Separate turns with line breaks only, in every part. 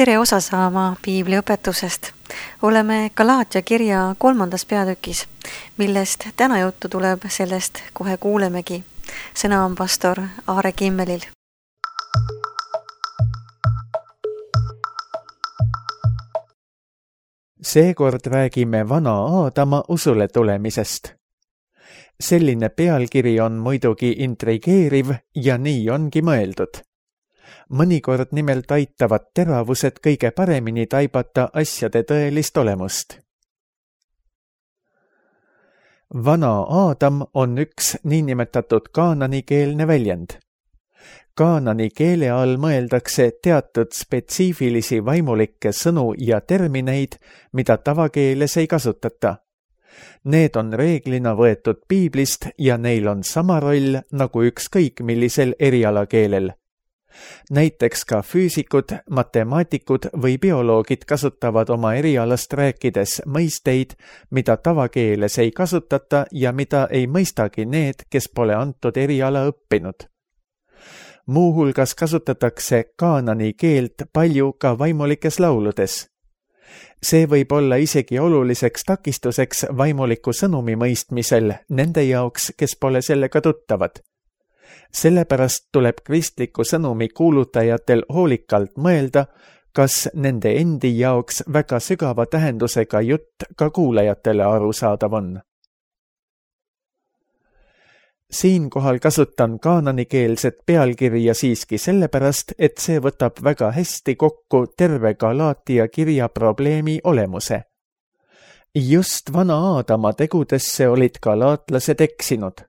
tere osa saama piibli õpetusest. Oleme Galaatia kirja 3. peatükis, millest täna juttu tuleb, sellest kohe kuulemegi. Sõna on pastor Aare Kimmelil.
Seekord räägime vana Aadama usule tulemisest. Selline pealkiri on muidugi intrigeeriv ja nii ongi mõeldud. Mõnikord nimelt aitavad teravused kõige paremini taibata asjade tõelist olemust. Vana Aadam on üks niinimetatud kaananikeelne väljend. Kaanani keele all mõeldakse teatud spetsiifilisi vaimulikke sõnu ja termineid, mida tavakeeles ei kasutata. Need on reeglina võetud piiblist ja neil on sama roll nagu ükskõik millisel erialakeelel. Näiteks ka füüsikud, matemaatikud või bioloogid kasutavad oma erialast rääkides mõisteid, mida tavakeeles ei kasutata ja mida ei mõistagi need, kes pole antud eriala õppinud. Muuhulgas kasutatakse kaanani keelt palju ka vaimulikes lauludes. See võib olla isegi oluliseks takistuseks vaimuliku sõnumi mõistmisel nende jaoks, kes pole sellega tuttavad. Sellepärast tuleb kristliku sõnumi kuulutajatel hoolikalt mõelda, kas nende endi jaoks väga sügava tähendusega jutt ka kuulajatele arusaadav on. Siinkohal kasutan kaananikeelset pealkirja siiski sellepärast, et see võtab väga hästi kokku terve Galaatia kirja probleemi olemuse. Just vana Aadama tegudesse olid galaatlased eksinud.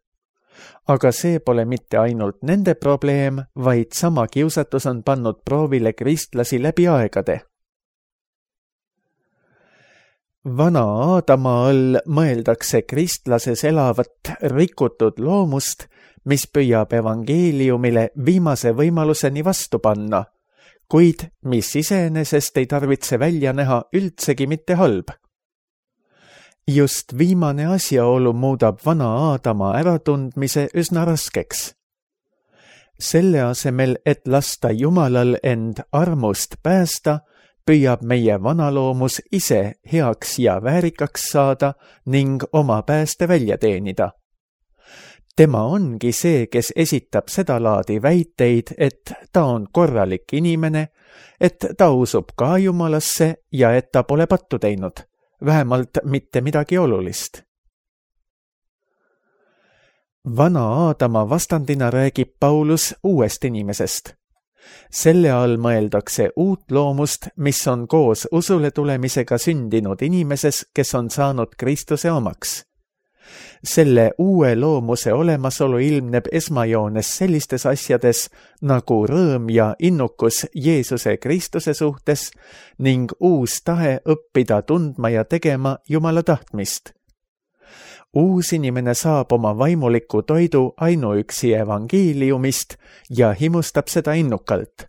Aga see pole mitte ainult nende probleem, vaid sama kiusatus on pannud proovile kristlasi läbi aegade. Vana Aadama all mõeldakse kristlases elavat rikutud loomust, mis püüab evangeeliumile viimase võimaluseni vastu panna, kuid mis iseenesest ei tarvitse välja näha üldsegi mitte halb. Just viimane asjaolu muudab vana Aadama äratundmise üsna raskeks. Selle asemel, et lasta Jumalal end armust päästa, püüab meie vanaloomus ise heaks ja väärikaks saada ning oma pääste välja teenida. Tema ongi see, kes esitab seda laadi väiteid, et ta on korralik inimene, et ta usub ka Jumalasse ja et ta pole pattu teinud. Vähemalt mitte midagi olulist. Vana Aadama vastandina räägib Paulus uuest inimesest. Selle all mõeldakse uut loomust, mis on koos usule tulemisega sündinud inimeses, kes on saanud Kristuse omaks. Selle uue loomuse olemasolu ilmneb esmajoones sellistes asjades nagu rõõm ja innukus Jeesuse Kristuse suhtes ning uus tahe õppida tundma ja tegema Jumala tahtmist. Uus inimene saab oma vaimuliku toidu ainuüksi evangeeliumist ja himustab seda innukalt.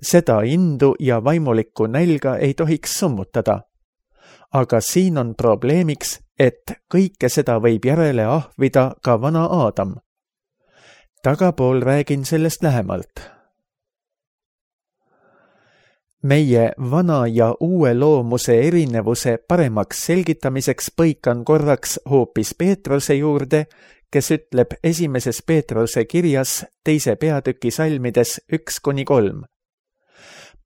Seda indu ja vaimulikku nälga ei tohiks summutada. Aga siin on probleemiks, et kõike seda võib järele ahvida ka vana Aadam. Tagapool räägin sellest lähemalt. Meie vana ja uue loomuse erinevuse paremaks selgitamiseks põikan korraks hoopis Peetruse juurde, kes ütleb 1. Peetruse kirjas 2. peatüki salmides 1-3.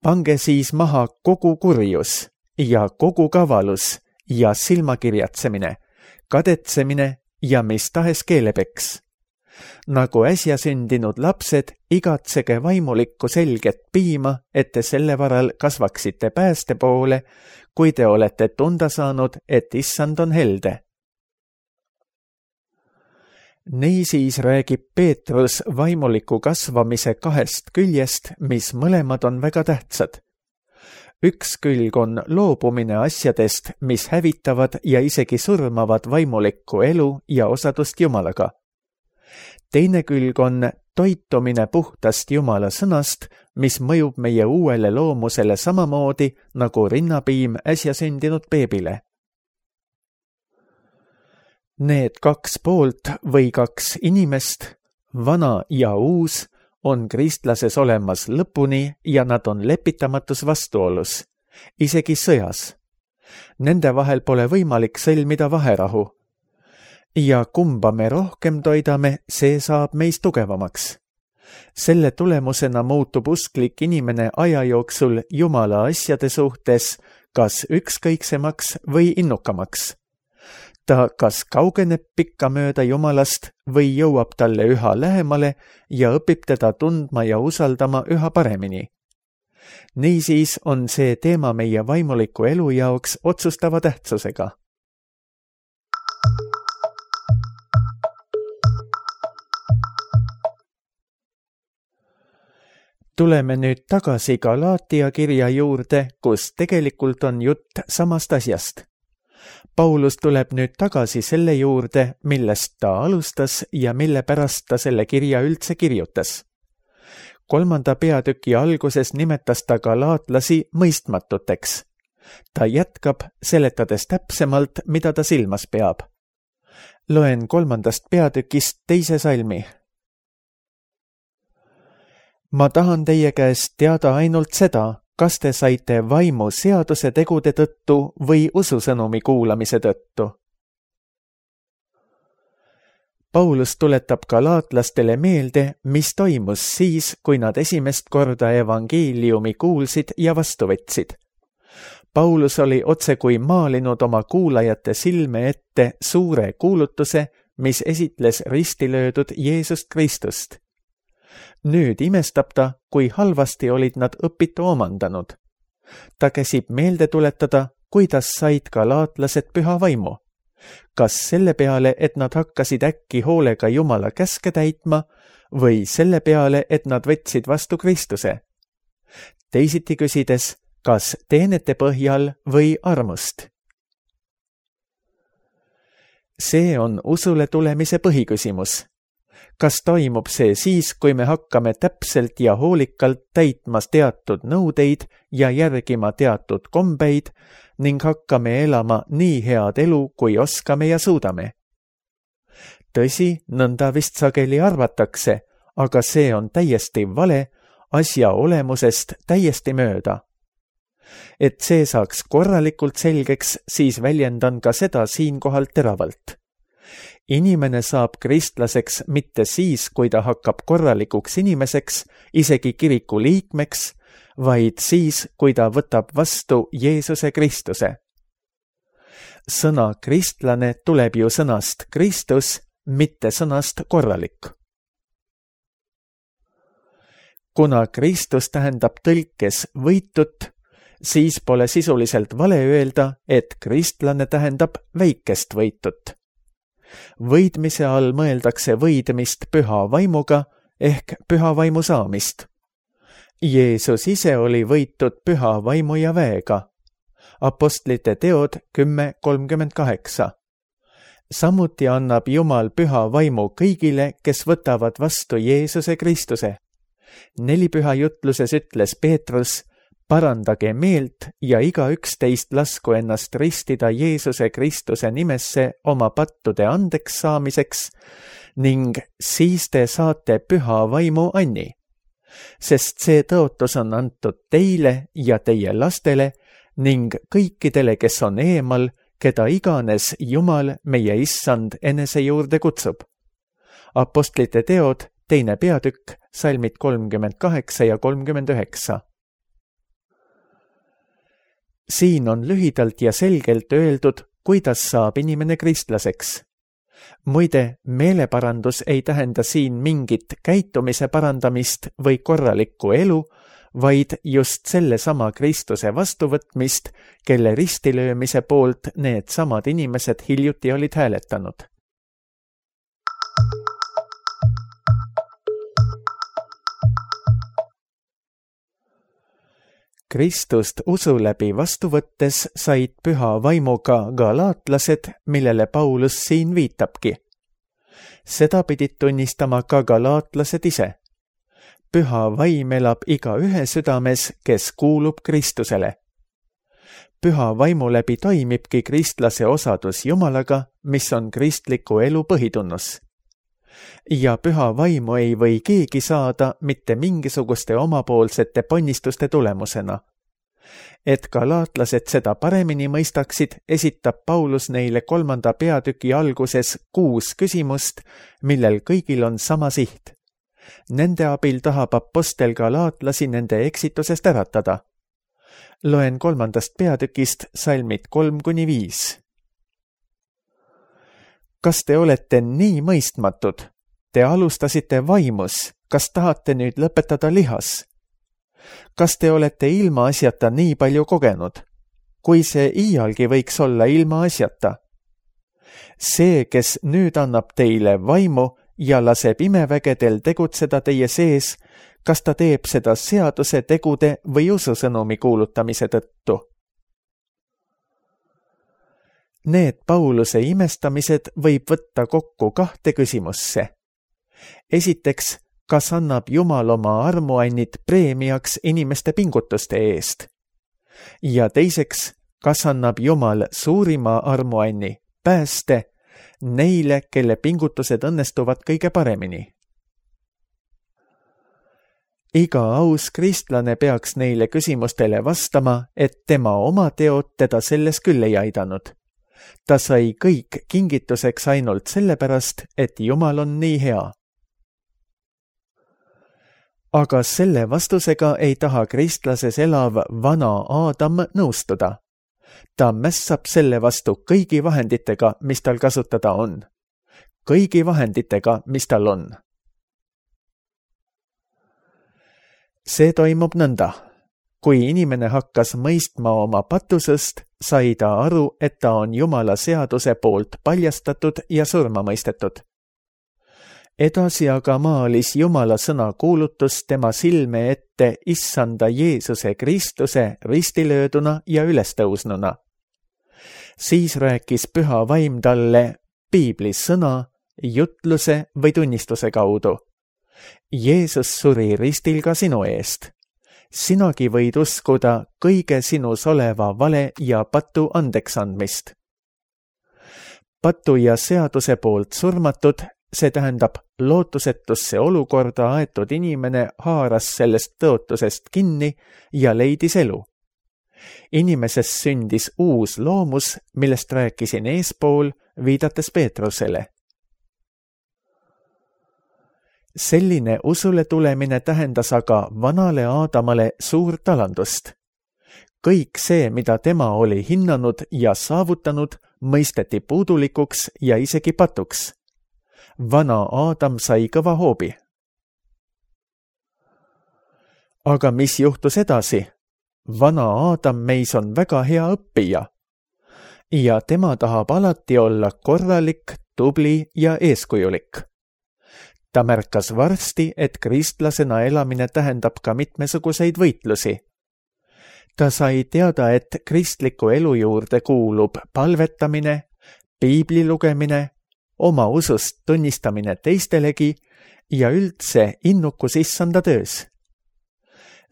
Pange siis maha kogu kurjus ja kogu kavalus ja silmakirjatsemine, kadetsemine ja mis tahes keelepeks. Nagu äsja sündinud lapsed, igatsege vaimulikku selget piima, et te selle varal kasvaksite pääste poole, kui te olete tunda saanud, et issand on helde. Niisiis räägib Peetrus vaimuliku kasvamise 2 küljest, mis mõlemad on väga tähtsad. Üks külg on loobumine asjadest, mis hävitavad ja isegi surmavad vaimulikku elu ja osadust Jumalaga. Teine külg on toitumine puhtast Jumala sõnast, mis mõjub meie uuele loomusele samamoodi nagu rinnapiim äsja sündinud beebile. Need 2 poolt või 2 inimest, vana ja uus, on kristlases olemas lõpuni ja nad on lepitamatus vastuolus, isegi sõjas. Nende vahel pole võimalik sõlmida vaherahu. Ja kumba me rohkem toidame, see saab meist tugevamaks. Selle tulemusena muutub usklik inimene aja jooksul Jumala asjade suhtes kas ükskõiksemaks või innukamaks. Ta kas kaugeneb pikkamööda Jumalast või jõuab talle üha lähemale ja õpib teda tundma ja usaldama üha paremini. Niisiis on see teema meie vaimuliku elu jaoks otsustava tähtsusega. Tuleme nüüd tagasi Galaatia kirja juurde, kus tegelikult on jutt samast asjast. Paulus tuleb nüüd tagasi selle juurde, millest ta alustas ja mille pärast ta selle kirja üldse kirjutas. 3. peatüki alguses nimetas ta galaatlasi mõistmatuteks. Ta jätkab, seletades täpsemalt, mida ta silmas peab. Loen 3. peatükist 2. salmi. Ma tahan teie käest teada ainult seda, kas te saite vaimu seaduse tegude tõttu või ususõnumi kuulamise tõttu. Paulus tuletab galaatlastele meelde, mis toimus siis, kui nad esimest korda evangeeliumi kuulsid ja vastu võtsid. Paulus oli otsekui maalinud oma kuulajate silme ette suure kuulutuse, mis esitles ristilöödud Jeesust Kristust. Nüüd imestab ta, kui halvasti olid nad õpitu omandanud. Ta käsib meelde tuletada, kuidas said galaatlased püha vaimu. Kas selle peale, et nad hakkasid äkki hoolega Jumala käske täitma või selle peale, et nad võtsid vastu Kristuse? Teisiti küsides, kas teenete põhjal või armust? See on usule tulemise põhiküsimus. Kas toimub see siis, kui me hakkame täpselt ja hoolikalt täitma teatud nõudeid ja järgima teatud kombeid ning hakkame elama nii head elu, kui oskame ja suudame? Tõsi, nõnda vist sageli arvatakse, aga see on täiesti vale, asja olemusest täiesti mööda. Et see saaks korralikult selgeks, siis väljendan ka seda siinkohal teravalt. Inimene saab kristlaseks mitte siis, kui ta hakkab korralikuks inimeseks, isegi kiriku liikmeks, vaid siis, kui ta võtab vastu Jeesuse Kristuse. Sõna kristlane tuleb ju sõnast Kristus, mitte sõnast korralik. Kuna Kristus tähendab tõlkes võitut, siis pole sisuliselt vale öelda, et kristlane tähendab väikest võitut. Võidmise all mõeldakse võidmist püha vaimuga ehk püha vaimu saamist. Jeesus ise oli võitud püha vaimu ja väega. Apostlite teod 10:38. Samuti annab Jumal püha vaimu kõigile, kes võtavad vastu Jeesuse Kristuse. 4 püha jutluses ütles Peetrus: parandage meelt ja igaüks teist lasku ennast ristida Jeesuse Kristuse nimesse oma pattude andeks saamiseks ning siis te saate püha vaimu anni. Sest see tõotus on antud teile ja teie lastele ning kõikidele, kes on eemal, keda iganes Jumal, meie Issand, enese juurde kutsub. Apostlite teod, 2. peatükk, salmid 38 ja 39. Siin on lühidalt ja selgelt öeldud, kuidas saab inimene kristlaseks. Muide, meeleparandus ei tähenda siin mingit käitumise parandamist või korralikku elu, vaid just sellesama Kristuse vastuvõtmist, kelle ristilöömise poolt need samad inimesed hiljuti olid hääletanud. Kristust usu läbi vastu võttes said püha vaimuga galaatlased, millele Paulus siin viitabki. Seda pidid tunnistama ka galaatlased ise. Püha vaim elab igaühe südames, kes kuulub Kristusele. Püha vaimu läbi toimibki kristlase osadus Jumalaga, mis on kristliku elu põhitunnus. ja püha vaimu ei või keegi saada mitte mingisuguste omapoolsete ponnistuste tulemusena. Et galaatlased seda paremini mõistaksid, esitab Paulus neile 3. peatüki alguses 6 küsimust, millel kõigil on sama siht. Nende abil tahab apostel galaatlasi nende eksitusest äratada. Loen 3. peatükist salmid 3-5. Kas te olete nii mõistmatud? Te alustasite vaimus, kas tahate nüüd lõpetada lihas? Kas te olete ilmaasjata nii palju kogenud? Kui see iialgi võiks olla ilmaasjata? See, kes nüüd annab teile vaimu ja laseb imevägedel tegutseda teie sees, kas ta teeb seda seaduse tegude või ususõnumi kuulutamise tõttu? Need Pauluse imestamised võib võtta kokku 2 küsimusse. Esiteks, kas annab Jumal oma armuannid preemiaks inimeste pingutuste eest? Ja teiseks, kas annab Jumal suurima armuanni, pääste, neile, kelle pingutused õnnestuvad kõige paremini? Iga aus kristlane peaks neile küsimustele vastama, et tema oma teod teda selles küll ei aidanud. Ta sai kõik kingituseks ainult sellepärast, et Jumal on nii hea. Aga selle vastusega ei taha kristlases elav vana Aadam nõustuda. Ta mässab selle vastu kõigi vahenditega, mis tal kasutada on. Kõigi vahenditega, mis tal on. See toimub nõnda. Kui inimene hakkas mõistma oma patusest, sai ta aru, et ta on Jumala seaduse poolt paljastatud ja surma mõistetud. Edasi aga maalis Jumala sõna kuulutus tema silme ette issanda Jeesuse Kristuse ristilööduna ja ülestõusnuna. Siis rääkis püha vaim talle piiblis sõna, jutluse või tunnistuse kaudu. Jeesus suri ristil ka sinu eest. Sinagi võid uskuda kõige sinus oleva vale ja patu andeks andmist. Patu ja seaduse poolt surmatud, see tähendab lootusetusse olukorda aetud inimene haaras sellest tõotusest kinni ja leidis elu. Inimesest sündis uus loomus, millest rääkisin eespool, viidates Peetrusele. Selline usule tulemine tähendas aga vanale Aadamale suurt alandust. Kõik see, mida tema oli hinnanud ja saavutanud, mõisteti puudulikuks ja isegi patuks. Vana Aadam sai kõva hoobi. Aga mis juhtus edasi? Vana Aadam meis on väga hea õppija. Ja tema tahab alati olla korralik, tubli ja eeskujulik. Ta märkas varsti, et kristlasena elamine tähendab ka mitmesuguseid võitlusi. Ta sai teada, et kristliku elu juurde kuulub palvetamine, piibli lugemine, oma usust tunnistamine teistelegi ja üldse innukus issanda töös.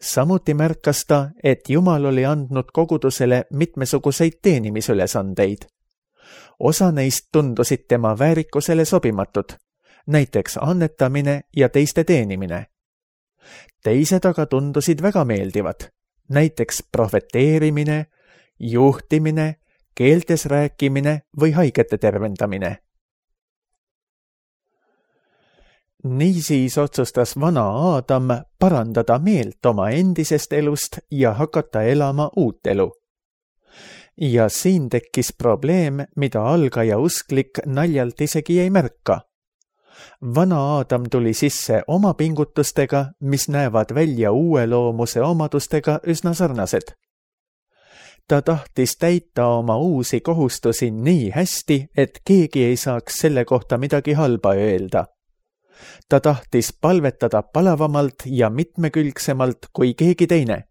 Samuti märkas ta, et Jumal oli andnud kogudusele mitmesuguseid teenimisülesandeid. Osa neist tundusid tema väärikusele sobimatud, näiteks annetamine ja teiste teenimine. Teised aga tundusid väga meeldivad, näiteks prohveteerimine, juhtimine, keeltes rääkimine või haigete tervendamine. Niisiis otsustas vana Aadam parandada meelt oma endisest elust ja hakata elama uut elu. Ja siin tekkis probleem, mida algaja usklik naljalt isegi ei märka. Vana Aadam tuli sisse oma pingutustega, mis näevad välja uue loomuse omadustega üsna sarnased. Ta tahtis täita oma uusi kohustusi nii hästi, et keegi ei saaks selle kohta midagi halba öelda. Ta tahtis palvetada palavamalt ja mitmekülgsemalt kui keegi teine.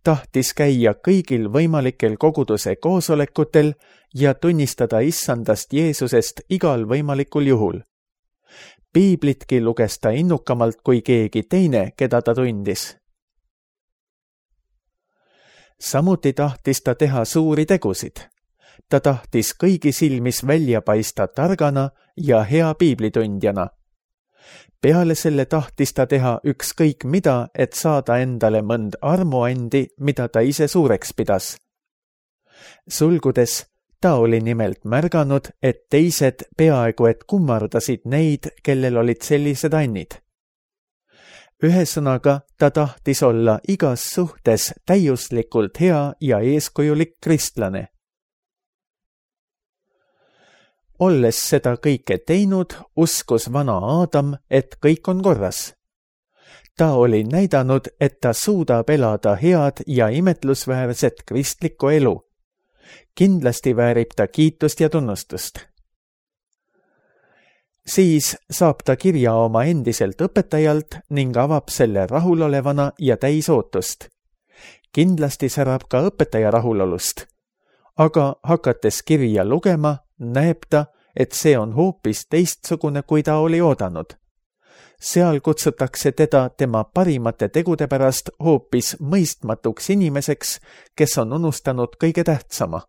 Tahtis käia kõigil võimalikel koguduse koosolekutel ja tunnistada issandast Jeesusest igal võimalikul juhul. Piiblitki luges ta innukamalt kui keegi teine, keda ta tundis. Samuti tahtis ta teha suuri tegusid. Ta tahtis kõigi silmis välja paista targana ja hea piiblitundjana. Peale selle tahtis ta teha ükskõik mida, et saada endale mõnd armuandi, mida ta ise suureks pidas. Sulgudes, ta oli nimelt märganud, et teised peaaegu et kummardasid neid, kellel olid sellised annid. Ühesõnaga, ta tahtis olla igas suhtes täiuslikult hea ja eeskujulik kristlane. Olles seda kõike teinud, uskus vana Aadam, et kõik on korras. Ta oli näidanud, et ta suudab elada head ja imetlusväärset kristlikku elu. Kindlasti väärib ta kiitust ja tunnustust. Siis saab ta kirja oma endiselt õpetajalt ning avab selle rahulolevana ja täis ootust. Kindlasti särab ka õpetaja rahulolust. Aga hakates kirja lugema, näeb ta, et see on hoopis teistsugune, kui ta oli oodanud. Seal kutsutakse teda tema parimate tegude pärast hoopis mõistmatuks inimeseks, kes on unustanud kõige tähtsama.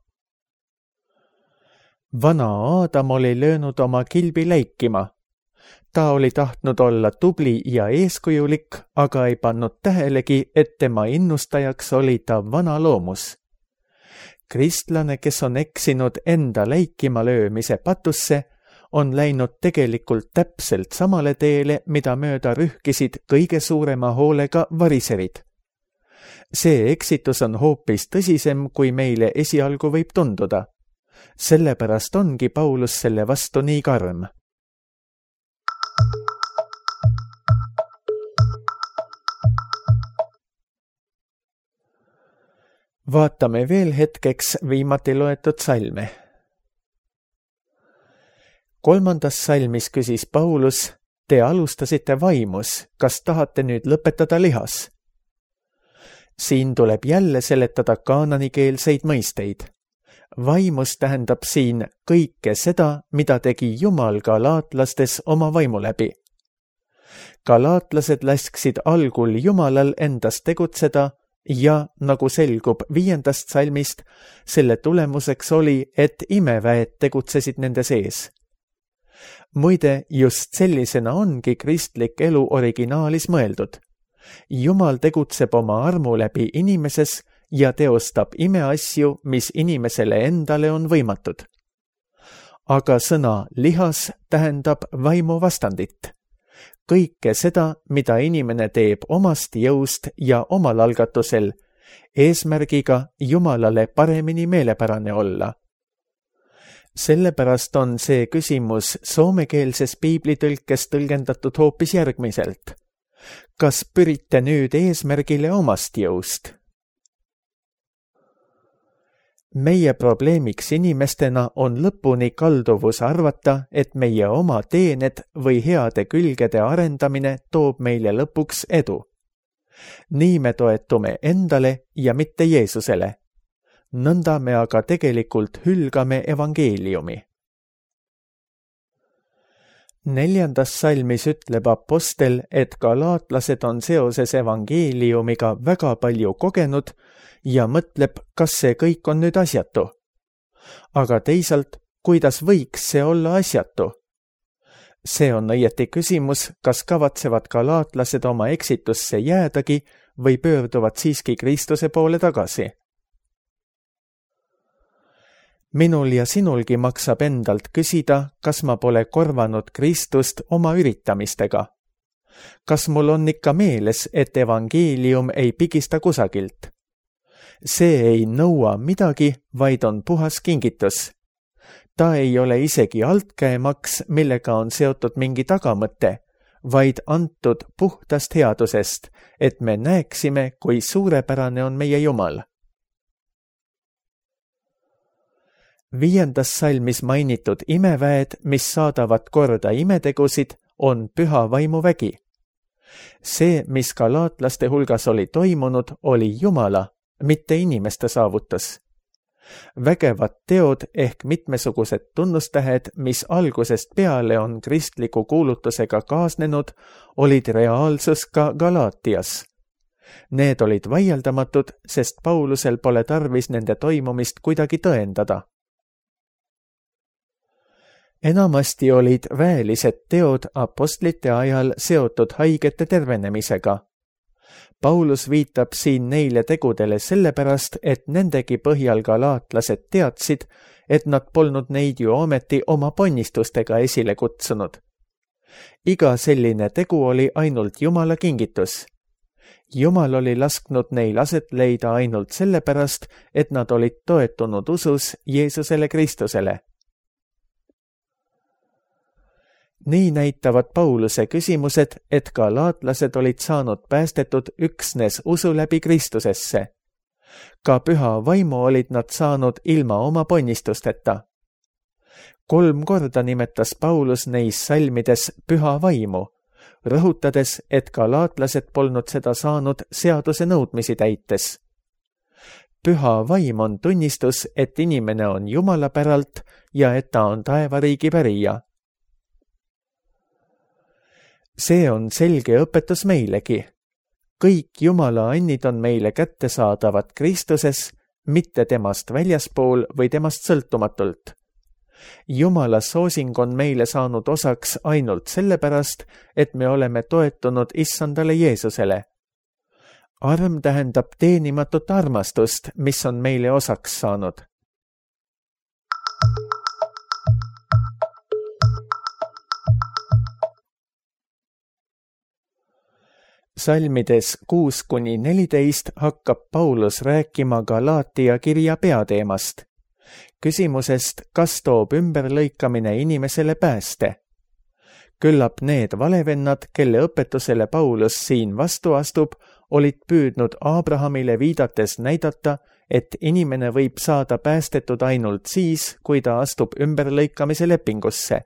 Vana Aadam oli löönud oma kilbi läikima. Ta oli tahtnud olla tubli ja eeskujulik, aga ei pannud tähelegi, et tema innustajaks oli ta vana loomus. Kristlane, kes on eksinud enda läikima löömise patusse, on läinud tegelikult täpselt samale teele, mida mööda rühkisid kõige suurema hoolega variserid. See eksitus on hoopis tõsisem, kui meile esialgu võib tunduda. Sellepärast ongi Paulus selle vastu nii karm. Vaatame veel hetkeks viimati loetud salme. 3. salmis küsis Paulus, te alustasite vaimus, kas tahate nüüd lõpetada lihas? Siin tuleb jälle seletada kaananikeelseid mõisteid. Vaimus tähendab siin kõike seda, mida tegi Jumal galaatlastes oma vaimu läbi. Galaatlased lasksid algul Jumalal endast tegutseda ja, nagu selgub 5. salmist, selle tulemuseks oli, et imeväed tegutsesid nende sees. Muide, just sellisena ongi kristlik elu originaalis mõeldud. Jumal tegutseb oma armu läbi inimeses ja teostab imeasju, mis inimesele endale on võimatud. Aga sõna lihas tähendab vaimu vastandit. Kõike seda, mida inimene teeb omast jõust ja omal algatusel, eesmärgiga Jumalale paremini meelepärane olla. Sellepärast on see küsimus soomekeelses piiblitõlkes tõlgendatud hoopis järgmiselt. Kas pürite nüüd eesmärgile omast jõust? Meie probleemiks inimestena on lõpuni kalduvus arvata, et meie oma teened või heade külgede arendamine toob meile lõpuks edu. Nii me toetume endale ja mitte Jeesusele. Nõnda me aga tegelikult hülgame evangeeliumi. 4. salmis ütleb apostel, et galaatlased on seoses evangeeliumiga väga palju kogenud ja mõtleb, kas see kõik on nüüd asjatu. Aga teisalt, kuidas võiks see olla asjatu? See on õieti küsimus, kas kavatsevad galaatlased oma eksitusse jäädagi või pöörduvad siiski Kristuse poole tagasi. Minul ja sinulgi maksab endalt küsida, kas ma pole korvanud Kristust oma üritamistega. Kas mul on ikka meeles, et evangeelium ei pigista kusagilt? See ei nõua midagi, vaid on puhas kingitus. Ta ei ole isegi altkäemaks, millega on seotud mingi tagamõte, vaid antud puhtast headusest, et me näeksime, kui suurepärane on meie Jumal. 5. salmis mainitud imeväed, mis saadavad korda imetegusid, on püha vaimu vägi. See, mis galaatlaste hulgas oli toimunud, oli Jumala, mitte inimeste saavutus. Vägevad teod ehk mitmesugused tunnustähed, mis algusest peale on kristliku kuulutusega kaasnenud, olid reaalsus ka Galaatias. Need olid vaieldamatud, sest Paulusel pole tarvis nende toimumist kuidagi tõendada. enamasti olid väelised teod apostlite ajal seotud haigete tervenemisega. Paulus viitab siin neile tegudele sellepärast, et nendegi põhjal galaatlased teadsid, et nad polnud neid ju ometi oma ponnistustega esile kutsunud. Iga selline tegu oli ainult Jumala kingitus. Jumal oli lasknud neil aset leida ainult sellepärast, et nad olid toetunud usus Jeesusele Kristusele. Nii näitavad Pauluse küsimused, et galaatlased olid saanud päästetud üksnes usu läbi Kristusesse. Ka püha vaimu olid nad saanud ilma oma ponnistusteta. 3 korda nimetas Paulus neis salmides püha vaimu, rõhutades, et galaatlased polnud seda saanud seaduse nõudmisi täites. Püha vaim on tunnistus, et inimene on Jumala päralt ja et ta on taevariigi pärija. See on selge õpetus meilegi. Kõik Jumala annid on meile kättesaadavad Kristuses, mitte temast väljaspool või temast sõltumatult. Jumala soosing on meile saanud osaks ainult sellepärast, et me oleme toetunud Issandale Jeesusele. Arm tähendab teenimatut armastust, mis on meile osaks saanud. Salmides 6-14 hakkab Paulus rääkima Galaatia kirja peateemast, küsimusest, kas toob ümberlõikamine inimesele pääste. Küllap need valevennad, kelle õpetusele Paulus siin vastu astub, olid püüdnud Abrahamile viidates näidata, et inimene võib saada päästetud ainult siis, kui ta astub ümberlõikamise lepingusse.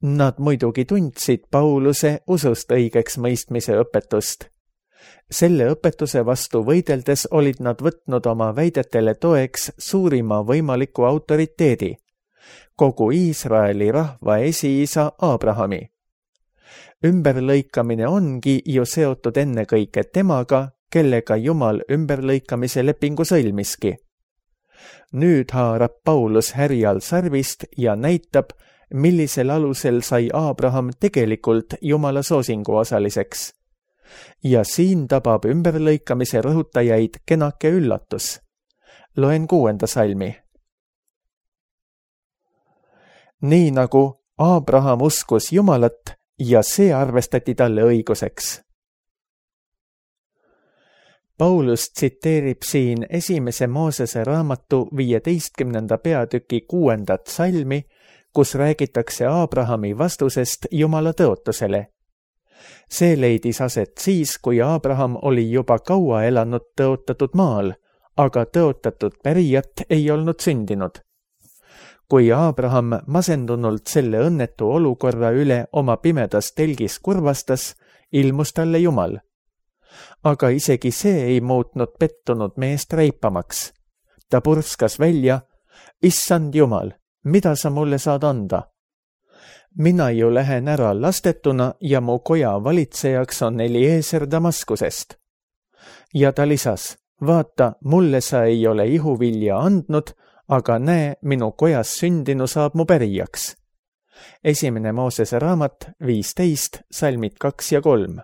Nad muidugi tundsid Pauluse usust õigeks mõistmise õpetust. Selle õpetuse vastu võideldes olid nad võtnud oma väidetele toeks suurima võimaliku autoriteedi, kogu Iisraeli rahva esiisa Abrahami. Ümberlõikamine ongi ju seotud ennekõike temaga, kellega Jumal ümberlõikamise lepingu sõlmiski. Nüüd haarab Paulus härjal sarvist ja näitab, millisel alusel sai Abraham tegelikult Jumala soosingu osaliseks. Ja siin tabab ümberlõikamise rõhutajaid kenake üllatus. Loen 6. salmi. Nii nagu Abraham uskus Jumalat ja see arvestati talle õiguseks. Paulus tsiteerib siin 1. Moosese raamatu 15. peatüki 6. salmi, kus räägitakse Abrahami vastusest Jumala tõotusele. See leidis aset siis, kui Abraham oli juba kaua elanud tõotatud maal, aga tõotatud pärijat ei olnud sündinud. Kui Abraham masendunult selle õnnetu olukorra üle oma pimedas telgis kurvastas, ilmus talle Jumal. Aga isegi see ei muutnud pettunud meest reipamaks. Ta purskas välja, Issand Jumal, mida sa mulle saad anda? Mina ju lähen ära lastetuna ja mu koja valitsejaks on Eliezer Damaskusest. Ja ta lisas, vaata, mulle sa ei ole ihuvilja andnud, aga näe, minu kojas sündinu saab mu pärijaks. 1. Moosese raamat 15, salmid 2 ja 3.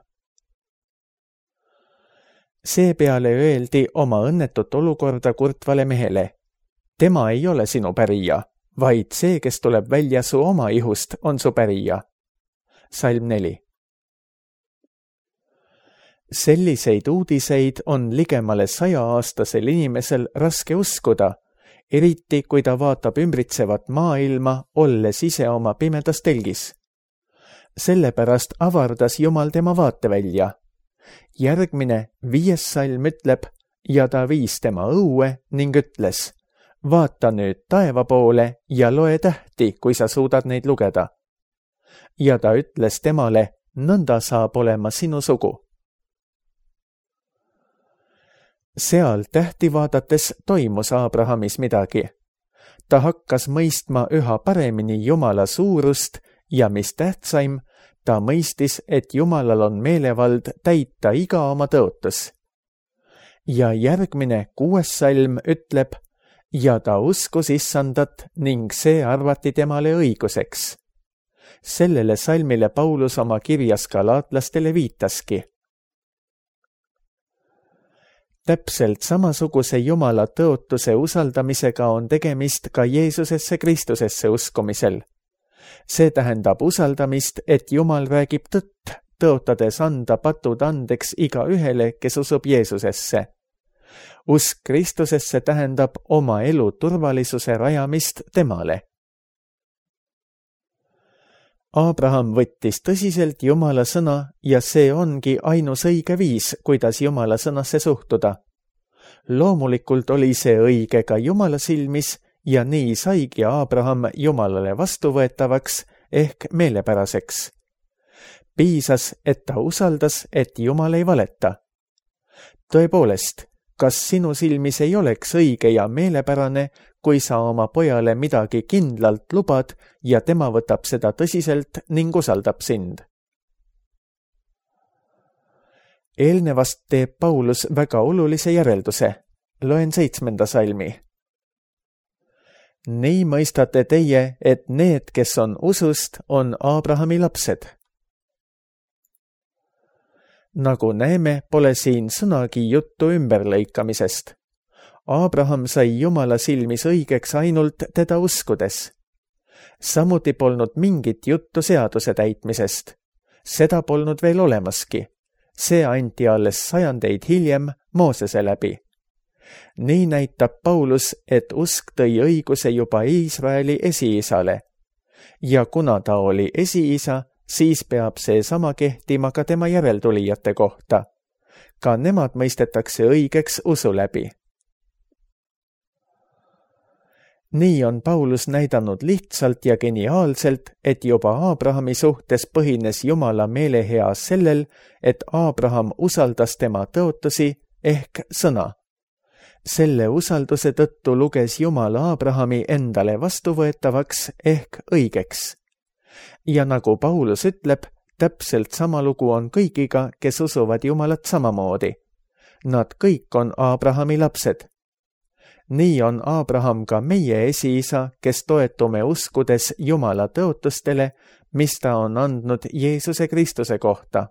Seepeale öeldi oma õnnetut olukorda kurtvale mehele. Tema ei ole sinu pärija, vaid see, kes tuleb välja su oma ihust, on su pärija. Salm 4. Selliseid uudiseid on ligemale 100-aastasel inimesel raske uskuda, eriti kui ta vaatab ümbritsevat maailma, olles ise oma pimedas telgis. Sellepärast avardas Jumal tema vaatevälja. Järgmine 5. salm ütleb, ja ta viis tema õue ning ütles, vaata nüüd taeva poole ja loe tähti, kui sa suudad neid lugeda. Ja ta ütles temale, nõnda saab olema sinu sugu. Seal tähti vaadates toimus Abrahamis midagi. Ta hakkas mõistma üha paremini Jumala suurust ja mis tähtsaim, ta mõistis, et Jumalal on meelevald täita iga oma tõotus. Ja järgmine 6. salm ütleb, ja ta uskus Issandat ning see arvati temale õiguseks. Sellele salmile Paulus oma kirjas galaatlastele viitaski. Täpselt samasuguse Jumala tõotuse usaldamisega on tegemist ka Jeesusesse Kristusesse uskumisel. See tähendab usaldamist, et Jumal räägib tõtt, tõotades anda patud andeks igaühele, kes usub Jeesusesse. Usk Kristusesse tähendab oma elu turvalisuse rajamist temale. Abraham võttis tõsiselt Jumala sõna ja see ongi ainus õige viis, kuidas Jumala sõnasse suhtuda. Loomulikult oli see õige ka Jumala silmis ja nii saigi Abraham Jumalale vastuvõetavaks ehk meelepäraseks. Piisas, et ta usaldas, et Jumal ei valeta. Tõepoolest, kas sinu silmis ei oleks õige ja meelepärane, kui sa oma pojale midagi kindlalt lubad ja tema võtab seda tõsiselt ning usaldab sind? Eelnevast teeb Paulus väga olulise järelduse. Loen 7. salmi. Nii mõistate teie, et need, kes on usust, on Abrahami lapsed. Nagu näeme, pole siin sõnagi juttu ümberlõikamisest. Abraham sai Jumala silmis õigeks ainult teda uskudes. Samuti polnud mingit juttu seaduse täitmisest. Seda polnud veel olemaski. See anti alles sajandeid hiljem Moosese läbi. Nii näitab Paulus, et usk tõi õiguse juba Iisraeli esiisale. Ja kuna ta oli esiisa, siis peab see sama kehtima ka tema järeltulijate kohta. Ka nemad mõistetakse õigeks usu läbi. Nii on Paulus näidanud lihtsalt ja geniaalselt, et juba Abrahami suhtes põhines Jumala meelehea sellel, et Abraham usaldas tema tõotusi ehk sõna. Selle usalduse tõttu luges Jumal Abrahami endale vastuvõetavaks ehk õigeks. Ja nagu Paulus ütleb, täpselt sama lugu on kõigiga, kes usuvad Jumalat samamoodi. Nad kõik on Abrahami lapsed. Nii on Abraham ka meie esiisa, kes toetume uskudes Jumala tõotustele, mis ta on andnud Jeesuse Kristuse kohta.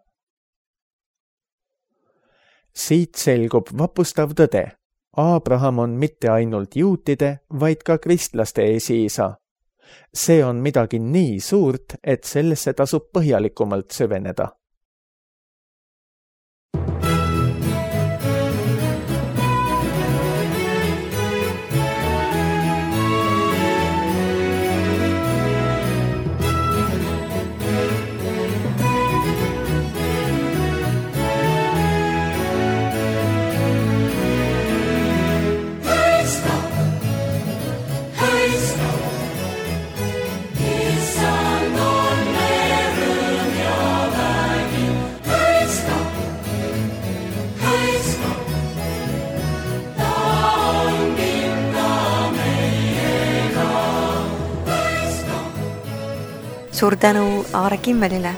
Siit selgub vapustav tõde. Abraham on mitte ainult juutide, vaid ka kristlaste esiisa. See on midagi nii suurt, et sellesse tasub põhjalikumalt süveneda.
Suur tänu Aare Kimmelile.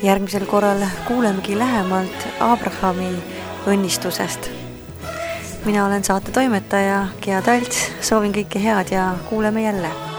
Järgmisel korral kuulemegi lähemalt Abrahami õnnistusest. Mina olen saate toimetaja Gea Talts, soovin kõike head ja kuuleme jälle.